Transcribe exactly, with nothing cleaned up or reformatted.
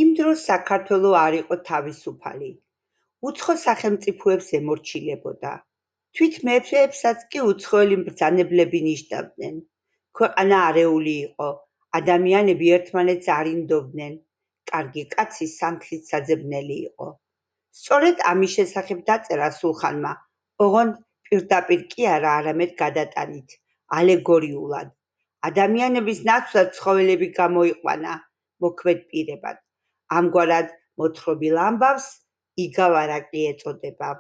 იმ დროს საქართველო არ იყო თავისუფალი. უცხო სახელმწიფოებს ემორჩილებოდა. თვით მეფეებსაც კი უცხოელი მბრძანებლები ნიშნავდნენ. ქვეყანა არეული იყო, ადამიანები ერთმანეთს არ ინდობდნენ. კარგი კაცი სანთლით საძებნელი იყო. სწორედ ამის შესახებ დაწერა სულხანმა, ოღონდ პირდაპირ კი არა, არამედ გადატანით, ალეგორიულად. ადამიანების ნაცვლად ცხოველები გამოიყვანა მოქმედ პირებად. ამგვარად მოთხრობილ ამბავს იგავ არაკლი ეწოდება.